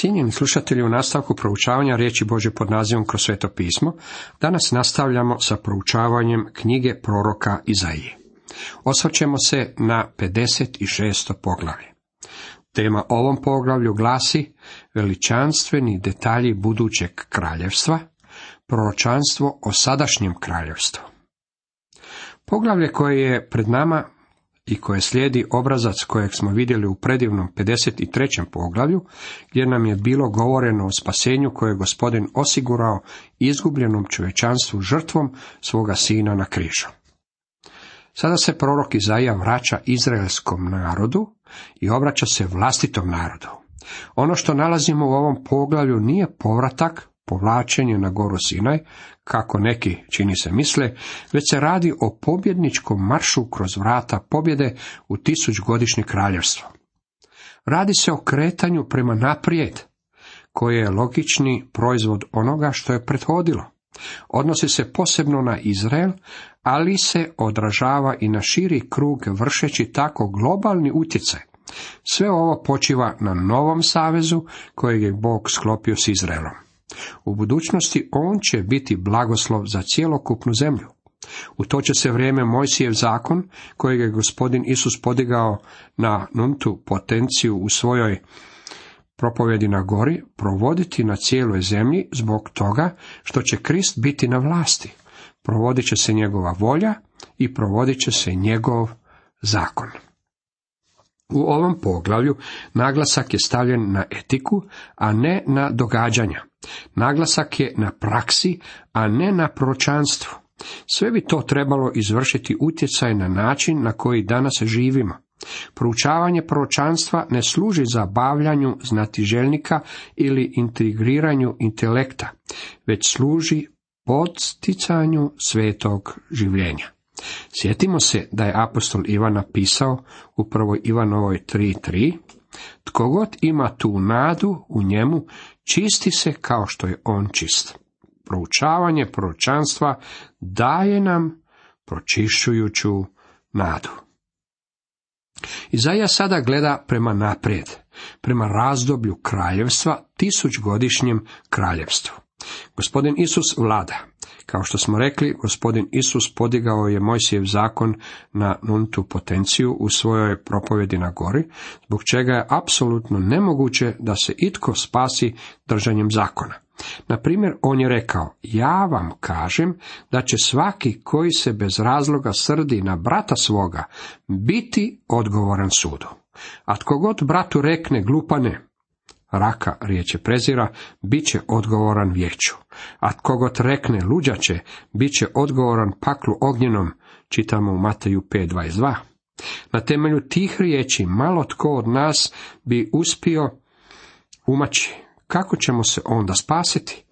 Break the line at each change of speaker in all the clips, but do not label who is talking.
Cijenjeni slušatelji, u nastavku proučavanja riječi Božje pod nazivom Kroz sveto pismo, danas nastavljamo sa proučavanjem knjige proroka Izaije. Osvrćemo se na 56. poglavlje. Tema ovom poglavlju glasi veličanstveni detalji budućeg kraljevstva, proročanstvo o sadašnjem kraljevstvu. Poglavlje koje je pred nama i koje slijedi obrazac kojeg smo vidjeli u predivnom 53. poglavlju, gdje nam je bilo govoreno o spasenju koje je Gospodin osigurao izgubljenom čovječanstvu žrtvom svoga sina na križu. Sada se prorok Izaija vraća izraelskom narodu i obraća se vlastitom narodu. Ono što nalazimo u ovom poglavlju nije povratak, povlačenje na goru Sinaj, kako neki, čini se, misle, već se radi o pobjedničkom maršu kroz vrata pobjede u 1000-godišnje kraljevstvo. Radi se o kretanju prema naprijed, koje je logični proizvod onoga što je prethodilo. Odnosi se posebno na Izrael, ali se odražava i na širi krug, vršeći tako globalni utjecaj. Sve ovo počiva na novom savezu kojeg je Bog sklopio s Izraelom. U budućnosti on će biti blagoslov za cjelokupnu zemlju. U to će se vrijeme Mojsijev zakon, kojeg je Gospodin Isus podigao na nultu potenciju u svojoj propovjedi na gori, provoditi na cijeloj zemlji zbog toga što će Krist biti na vlasti. Provodit će se njegova volja i provodit će se njegov zakon. U ovom poglavlju naglasak je stavljen na etiku, a ne na događanja. Naglasak je na praksi, a ne na proročanstvu. Sve bi to trebalo izvršiti utjecaj na način na koji danas živimo. Proučavanje proročanstva ne služi za bavljanju znatiželjnika ili integriranju intelekta, već služi podsticanju svetog življenja. Sjetimo se da je apostol Ivan napisao u 1. Ivanovoj 3:3: Tko god ima tu nadu u njemu, čisti se kao što je on čist. Proučavanje proročanstva daje nam pročišćujuću nadu. Izaija sada gleda prema naprijed, prema razdoblju kraljevstva, 1000-godišnjem kraljevstvu. Gospodin Isus vlada. Kao što smo rekli, Gospodin Isus podigao je Mojsijev zakon na nultu potenciju u svojoj propovjedi na gori, zbog čega je apsolutno nemoguće da se itko spasi držanjem zakona. Na primjer, on je rekao: ja vam kažem da će svaki koji se bez razloga srdi na brata svoga biti odgovoran sudu. A tko god bratu rekne glupane, raka riječ je prezira, bit će odgovoran vijeću. A tko god rekne luđače, bit će odgovoran paklu ognjenom, čitamo u Mateju 5:22. Na temelju tih riječi malo tko od nas bi uspio umaći. Kako ćemo se onda spasiti?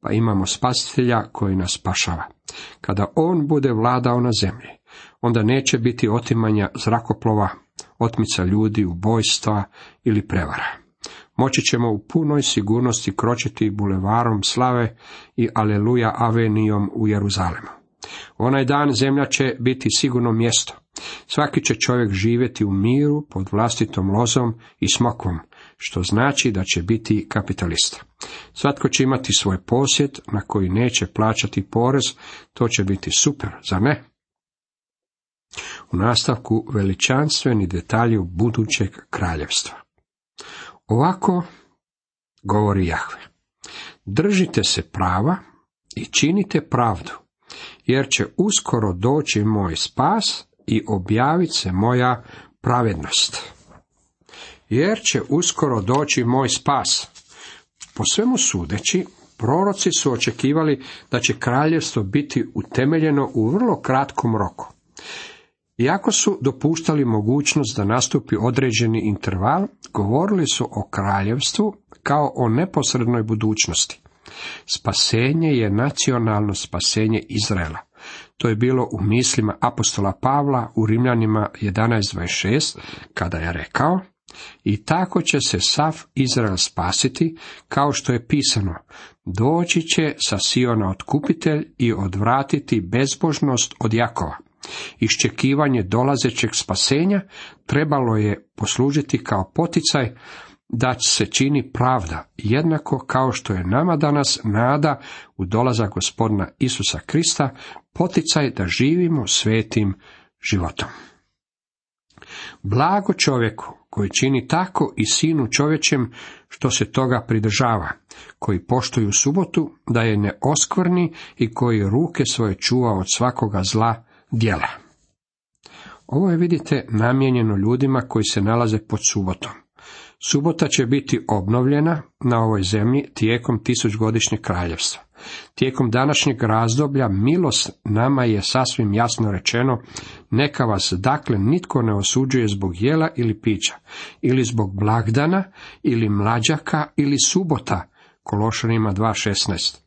Pa imamo spasitelja koji nas spašava. Kada on bude vladao na zemlji, onda neće biti otimanja zrakoplova, otmica ljudi, ubojstva ili prevara. Moći ćemo u punoj sigurnosti kročiti bulevarom slave i aleluja avenijom u Jeruzalemu. Onaj dan zemlja će biti sigurno mjesto. Svaki će čovjek živjeti u miru pod vlastitom lozom i smokvom, što znači da će biti kapitalista. Svatko će imati svoj posjed na koji neće plaćati porez, to će biti super, zar ne? U nastavku veličanstveni detalji budućeg kraljevstva. Ovako govori Jahve: držite se prava i činite pravdu, jer će uskoro doći moj spas i objavit se moja pravednost. Jer će uskoro doći moj spas. Po svemu sudeći, proroci su očekivali da će kraljevstvo biti utemeljeno u vrlo kratkom roku. Iako su dopuštali mogućnost da nastupi određeni interval, govorili su o kraljevstvu kao o neposrednoj budućnosti. Spasenje je nacionalno spasenje Izraela. To je bilo u mislima apostola Pavla u Rimljanima 11:26, kada je rekao: i tako će se sav Izrael spasiti, kao što je pisano: doći će sa Siona otkupitelj i odvratiti bezbožnost od Jakova. Iščekivanje dolazećeg spasenja trebalo je poslužiti kao poticaj da se čini pravda, jednako kao što je nama danas nada u dolazak Gospodina Isusa Krista, poticaj da živimo svetim životom. Blago čovjeku koji čini tako i sinu čovječem što se toga pridržava, koji poštuju subotu da je ne oskvrni i koji ruke svoje čuva od svakoga zla djela. Ovo je, vidite, namijenjeno ljudima koji se nalaze pod subotom. Subota će biti obnovljena na ovoj zemlji tijekom 1000-godišnjeg kraljevstva. Tijekom današnjeg razdoblja milost nama je sasvim jasno rečeno, neka vas dakle nitko ne osuđuje zbog jela ili pića, ili zbog blagdana, ili mlađaka, ili subota, Kološanima 2.16.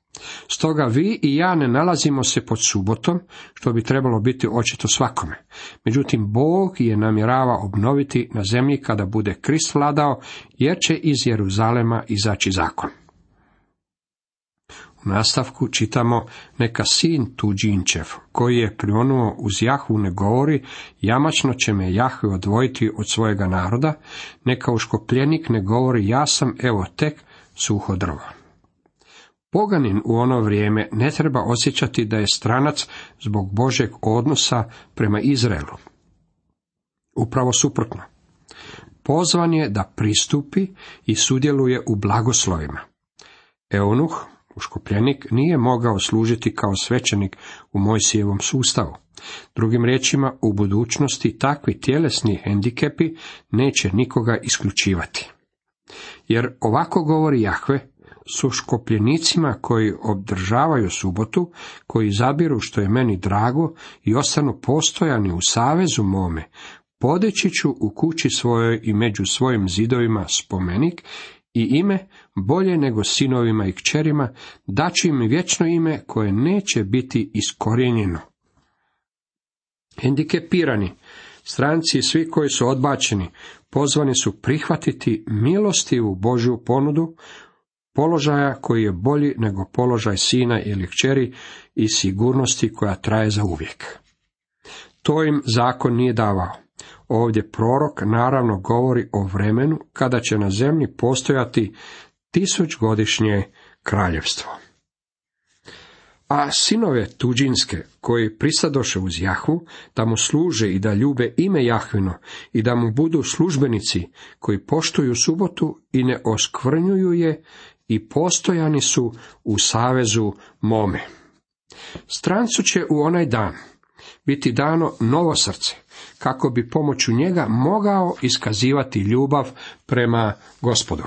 Stoga vi i ja ne nalazimo se pod subotom, što bi trebalo biti očito svakome. Međutim, Bog je namjerava obnoviti na zemlji kada bude Krist vladao, jer će iz Jeruzalema izaći zakon. U nastavku čitamo, neka sin tuđinčev, koji je prionuo uz Jahvu, ne govori, jamačno će me Jahve odvojiti od svojega naroda, neka uškopljenik ne govori, ja sam evo tek suho drvo. Poganin u ono vrijeme ne treba osjećati da je stranac zbog Božjeg odnosa prema Izraelu. Upravo suprotno. Pozvan je da pristupi i sudjeluje u blagoslovima. Eunuh, uškopljenik, nije mogao služiti kao svećenik u Mojsijevom sustavu. Drugim riječima, u budućnosti takvi tjelesni hendikepi neće nikoga isključivati. Jer ovako govori Jahve, s uškopljenicima koji obdržavaju subotu, koji zabiru što je meni drago i ostanu postojani u savezu mome, podići ću u kući svojoj i među svojim zidovima spomenik i ime bolje nego sinovima i kćerima, daću im vječno ime koje neće biti iskorijenjeno. Hendikepirani, stranci i svi koji su odbačeni, pozvani su prihvatiti milostivu Božju ponudu, položaja koji je bolji nego položaj sina ili kćeri i sigurnosti koja traje za uvijek. To im zakon nije davao. Ovdje prorok naravno govori o vremenu kada će na zemlji postojati 1000-godišnje kraljevstvo. A sinove tuđinske, koji pristadoše uz Jahvu, da mu služe i da ljube ime Jahvino i da mu budu službenici koji poštuju subotu i ne oskvrnjuju je, i postojani su u savezu mome. Strancu će u onaj dan biti dano novo srce, kako bi pomoću njega mogao iskazivati ljubav prema Gospodu.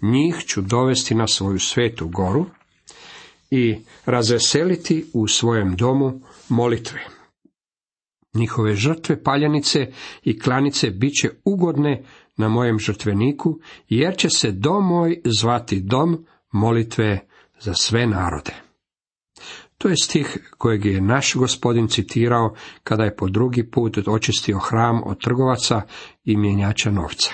Njih ću dovesti na svoju svetu goru i razveseliti u svojem domu molitve. Njihove žrtve paljenice i klanice bit će ugodne na mojem žrtveniku, jer će se dom moj zvati dom molitve za sve narode. To je stih kojeg je naš Gospodin citirao kada je po drugi put očistio hram od trgovaca i mjenjača novca.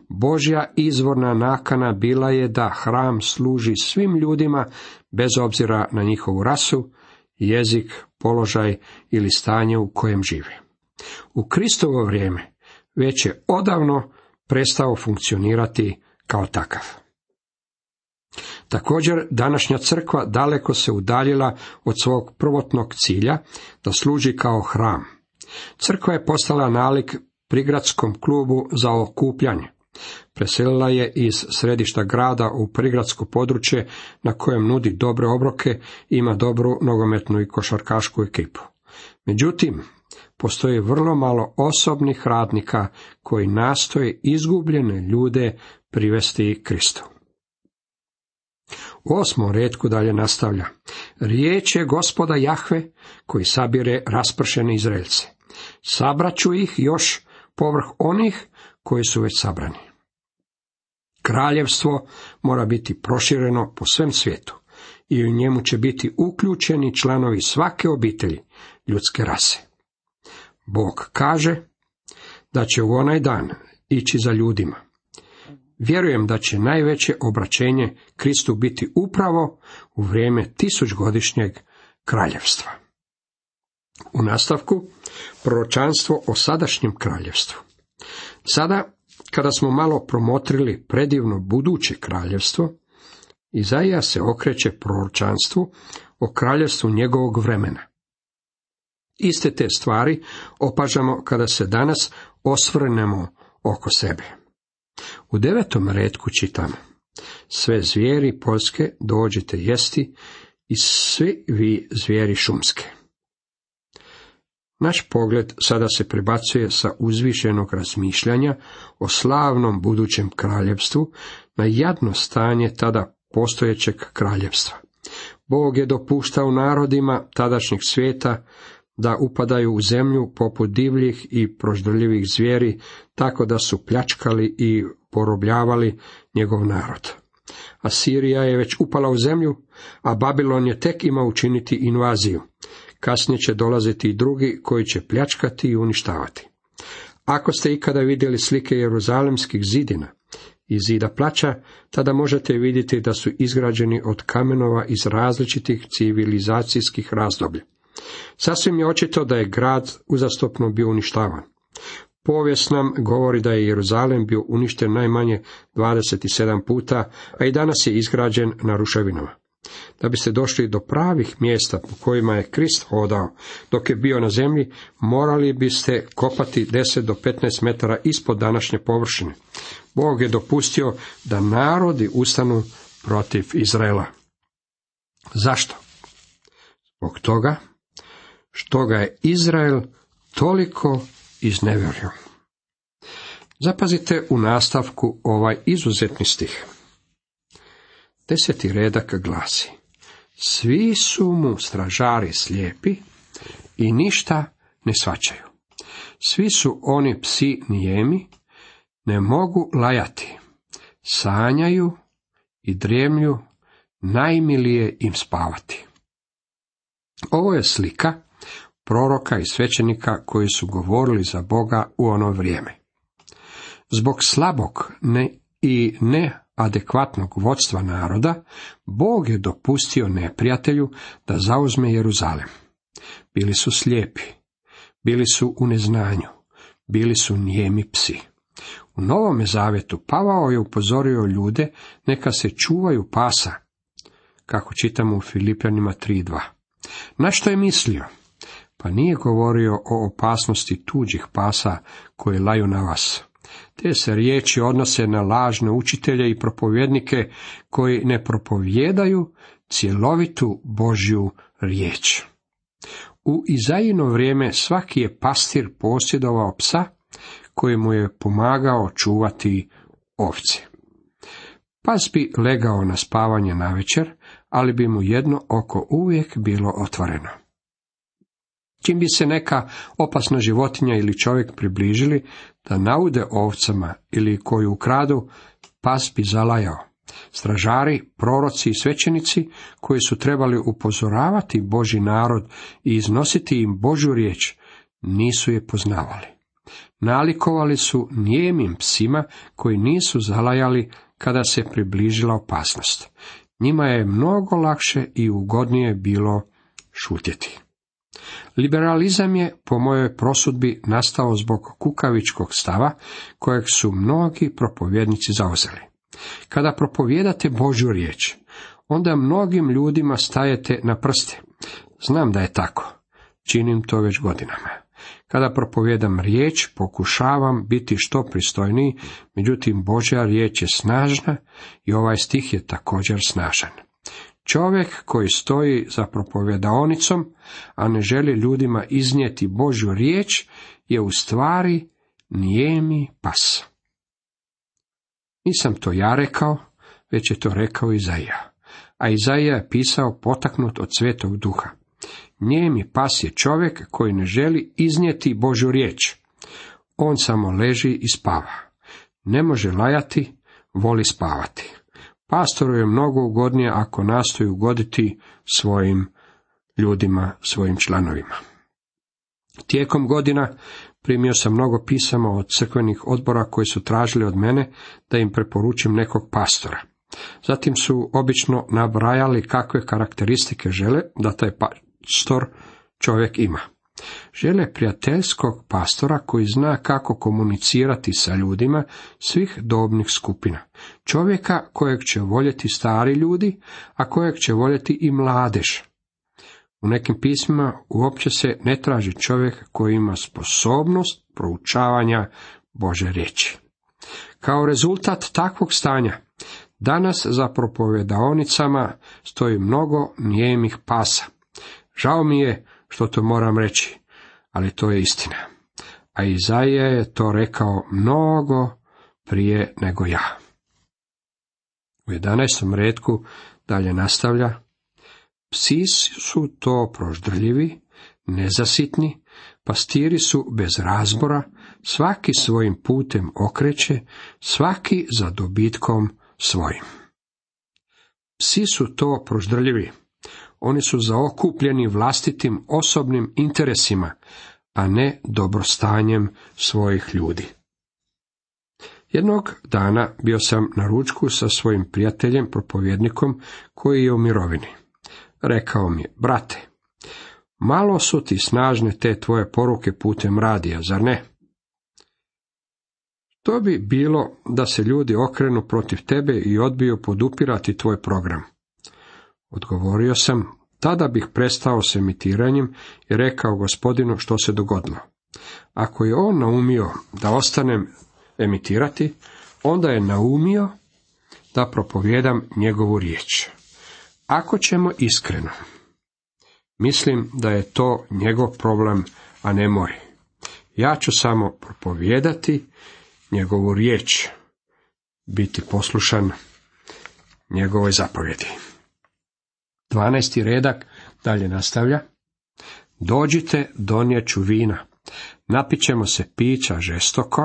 Božja izvorna nakana bila je da hram služi svim ljudima, bez obzira na njihovu rasu, jezik, položaj ili stanje u kojem žive. U Kristovo vrijeme već je odavno prestao funkcionirati kao takav. Također, današnja crkva daleko se udaljila od svog prvotnog cilja, da služi kao hram. Crkva je postala nalik prigradskom klubu za okupljanje. Preselila je iz središta grada u prigradsko područje na kojem nudi dobre obroke i ima dobru nogometnu i košarkašku ekipu. Međutim, postoji vrlo malo osobnih radnika koji nastoje izgubljene ljude privesti Kristu. U 8. retku dalje nastavlja. Riječ je Gospoda Jahve koji sabire raspršene Izraelce. Sabraću ih još povrh onih koji su već sabrani. Kraljevstvo mora biti prošireno po svem svijetu i u njemu će biti uključeni članovi svake obitelji ljudske rase. Bog kaže da će u onaj dan ići za ljudima. Vjerujem da će najveće obraćenje Kristu biti upravo u vrijeme 1000-godišnjeg kraljevstva. U nastavku proročanstvo o sadašnjem kraljevstvu. Sada, Kada smo malo promotrili predivno buduće kraljevstvo, Izaija se okreće proročanstvu o kraljevstvu njegovog vremena. Iste te stvari opažamo kada se danas osvrnemo oko sebe. U 9. retku čitamo: sve zvijeri poljske dođite jesti i svi vi zvijeri šumske. Naš pogled sada se prebacuje sa uzvišenog razmišljanja o slavnom budućem kraljevstvu na jadno stanje tada postojećeg kraljevstva. Bog je dopuštao narodima tadašnjeg svijeta da upadaju u zemlju poput divljih i proždrljivih zvijeri, tako da su pljačkali i porobljavali njegov narod. Asirija je već upala u zemlju, a Babilon je tek ima učiniti invaziju. Kasnije će dolaziti i drugi koji će pljačkati i uništavati. Ako ste ikada vidjeli slike jeruzalemskih zidina i zida plača, tada možete vidjeti da su izgrađeni od kamenova iz različitih civilizacijskih razdoblja. Sasvim je očito da je grad uzastopno bio uništavan. Povijest nam govori da je Jeruzalem bio uništen najmanje 27 puta, a i danas je izgrađen na ruševinama. Da biste došli do pravih mjesta po kojima je Krist hodao dok je bio na zemlji, morali biste kopati 10 do 15 metara ispod današnje površine. Bog je dopustio da narodi ustanu protiv Izraela. Zašto? Zbog toga što ga je Izrael toliko iznevjerio. Zapazite u nastavku ovaj izuzetni stih. 10. redak glasi: svi su mu stražari slijepi i ništa ne shvaćaju. Svi su oni psi nijemi, ne mogu lajati, sanjaju i drijemlju, najmilije im spavati. Ovo je slika proroka i svećenika koji su govorili za Boga u ono vrijeme. Zbog slabog i neadekvatnog vodstva naroda, Bog je dopustio neprijatelju da zauzme Jeruzalem. Bili su slijepi, bili su u neznanju, bili su nijemi psi. U Novome zavjetu Pavao je upozorio ljude neka se čuvaju pasa, kako čitamo u Filipljanima 3:2. Na što je mislio? Pa nije govorio o opasnosti tuđih pasa koji laju na vas. Te se riječi odnose na lažne učitelje i propovjednike koji ne propovijedaju cjelovitu Božju riječ. U Izaijino vrijeme svaki je pastir posjedovao psa koji mu je pomagao čuvati ovce. Pas bi legao na spavanje navečer, ali bi mu jedno oko uvijek bilo otvoreno. Čim bi se neka opasna životinja ili čovjek približili da naude ovcama ili koju ukradu, pas bi zalajao. Stražari, proroci i svećenici koji su trebali upozoravati Božji narod i iznositi im Božju riječ, nisu je poznavali. Nalikovali su nijemim psima koji nisu zalajali kada se približila opasnost. Njima je mnogo lakše i ugodnije bilo šutjeti. Liberalizam je, po mojoj prosudbi, nastao zbog kukavičkog stava kojeg su mnogi propovjednici zauzeli. Kada propovijedate Božju riječ, onda mnogim ljudima stajete na prste. Znam da je tako. Činim to već godinama. Kada propovijedam riječ, pokušavam biti što pristojniji, međutim Božja riječ je snažna i ovaj stih je također snažan. Čovjek koji stoji za propovjedaonicom, a ne želi ljudima iznijeti Božju riječ, je u stvari nijemi pas. Nisam to ja rekao, već je to rekao Izaija. A Izaija je pisao potaknut od Svetog Duha. Nijemi pas je čovjek koji ne želi iznijeti Božju riječ. On samo leži i spava. Ne može lajati, voli spavati. Pastoru je mnogo ugodnije ako nastoji ugoditi svojim ljudima, svojim članovima. Tijekom godina primio sam mnogo pisama od crkvenih odbora koji su tražili od mene da im preporučim nekog pastora. Zatim su obično nabrajali kakve karakteristike žele da taj pastor čovjek ima. Žele prijateljskog pastora koji zna kako komunicirati sa ljudima svih dobnih skupina. Čovjeka kojeg će voljeti stari ljudi, a kojeg će voljeti i mladež. U nekim pismima uopće se ne traži čovjek koji ima sposobnost proučavanja Božje riječi. Kao rezultat takvog stanja, danas za propovedaonicama stoji mnogo nijemih pasa. Žao mi je što to moram reći, ali to je istina. A Izaija je to rekao mnogo prije nego ja. U 11. retku dalje nastavlja: psi su to proždrljivi, nezasitni, pastiri su bez razbora, svaki svojim putem okreće, svaki za dobitkom svojim. Psi su to proždrljivi. Oni su zaokupljeni vlastitim osobnim interesima, a ne dobrostanjem svojih ljudi. Jednog dana bio sam na ručku sa svojim prijateljem, propovjednikom, koji je u mirovini. Rekao mi je: brate, malo su ti snažne te tvoje poruke putem radija, zar ne? To bi bilo da se ljudi okrenu protiv tebe i odbiju podupirati tvoj program. Odgovorio sam: tada bih prestao s emitiranjem i rekao Gospodinu što se dogodilo. Ako je on naumio da ostanem emitirati, onda je naumio da propovijedam njegovu riječ. Ako ćemo iskreno, mislim da je to njegov problem, a ne moj. Ja ću samo propovijedati njegovu riječ, biti poslušan njegovoj zapovjedi. 12. redak dalje nastavlja: dođite, donijet ću vina, napićemo se pića žestoka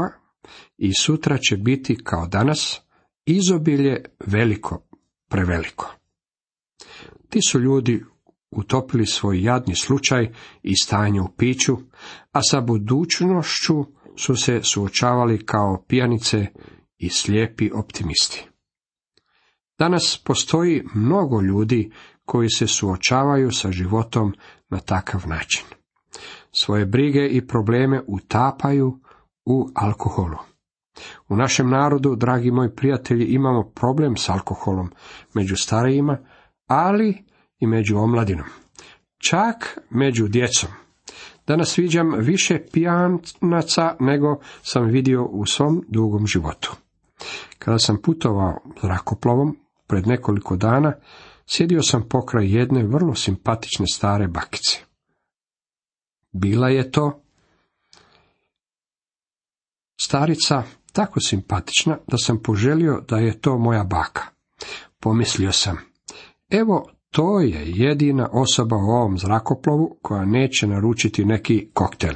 i sutra će biti kao danas, izobilje veliko, preveliko. Ti su ljudi utopili svoj jadni slučaj i stanje u piću, a sa budućnošću su se suočavali kao pijanice i slijepi optimisti. Danas postoji mnogo ljudi koji se suočavaju sa životom na takav način. Svoje brige i probleme utapaju u alkoholu. U našem narodu, dragi moji prijatelji, imamo problem s alkoholom među starijima, ali i među omladinom. Čak među djecom. Danas viđam više pijanaca nego sam vidio u svom dugom životu. Kada sam putovao zrakoplovom pred nekoliko dana, sjedio sam pokraj jedne vrlo simpatične stare bakice. Bila je to starica tako simpatična da sam poželio da je to moja baka. Pomislio sam: evo, to je jedina osoba u ovom zrakoplovu koja neće naručiti neki koktel.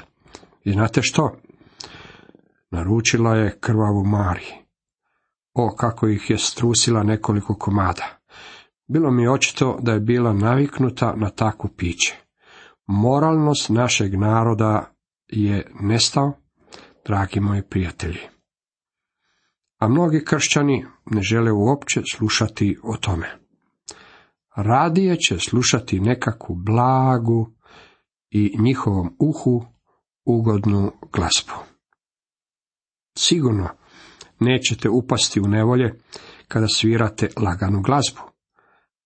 I znate što? Naručila je krvavu Mari. O, kako ih je strusila nekoliko komada. Bilo mi je očito da je bila naviknuta na takvo piće. Moralnost našeg naroda je nestao, dragi moji prijatelji. A mnogi kršćani ne žele uopće slušati o tome. Radije će slušati nekakvu blagu i njihovom uhu ugodnu glazbu. Sigurno nećete upasti u nevolje kada svirate laganu glazbu,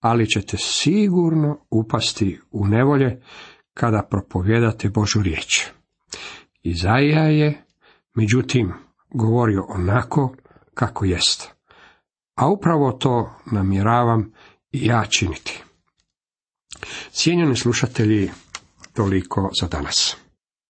ali ćete sigurno upasti u nevolje kada propovijedate Božju riječ. Izaija je, međutim, govorio onako kako jest, a upravo to namjeravam i ja činiti. Cijenjeni slušatelji, toliko za danas.